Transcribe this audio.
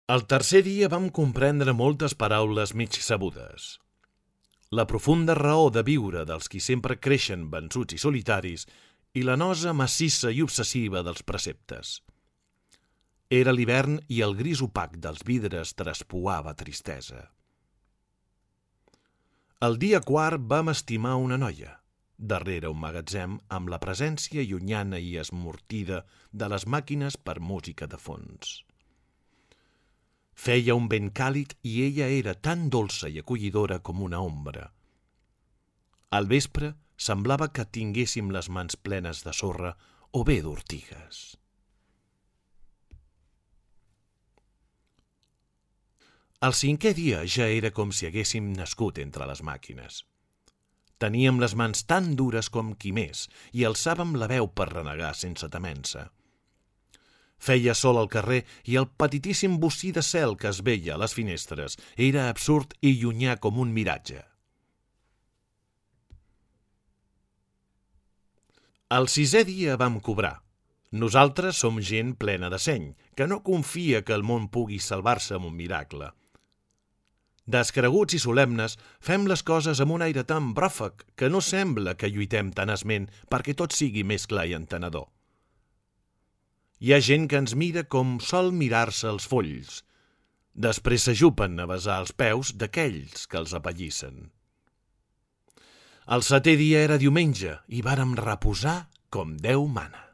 El tercer dia vam comprendre moltes paraules mig sabudes. La profunda raó de viure dels qui sempre creixen vençuts i solitaris i la nosa massissa i obsessiva dels preceptes. Era l'hivern i el gris opac dels vidres traspuava tristesa. El dia quart vam estimar una noia, darrere un magatzem amb la presència llunyana i esmortida de les màquines per música de fons. Feia un vent càlid i ella era tan dolça i acollidora com una ombra. Al vespre semblava que tinguéssim les mans plenes de sorra o bé d'ortigues. El cinquè dia ja era com si haguéssim nascut entre les màquines. Teníem les mans tan dures com qui més i alçàvem la veu per renegar sense temença. Feia sol al carrer i el petitíssim bocí de cel que es veia a les finestres era absurd i llunyà com un miratge. El sisè dia vam cobrar. Nosaltres som gent plena de seny, que no confia que el món pugui salvar-se amb un miracle. Descreguts i solemnes, fem les coses amb un aire tan bròfec que no sembla que lluitem tenaçment perquè tot sigui més clar i entenedor. Hi ha gent que ens mira com sol mirar-se els folls. Després s'ajupen a besar els peus d'aquells que els apallissen. El setè dia era diumenge i vàrem reposar com Déu mana.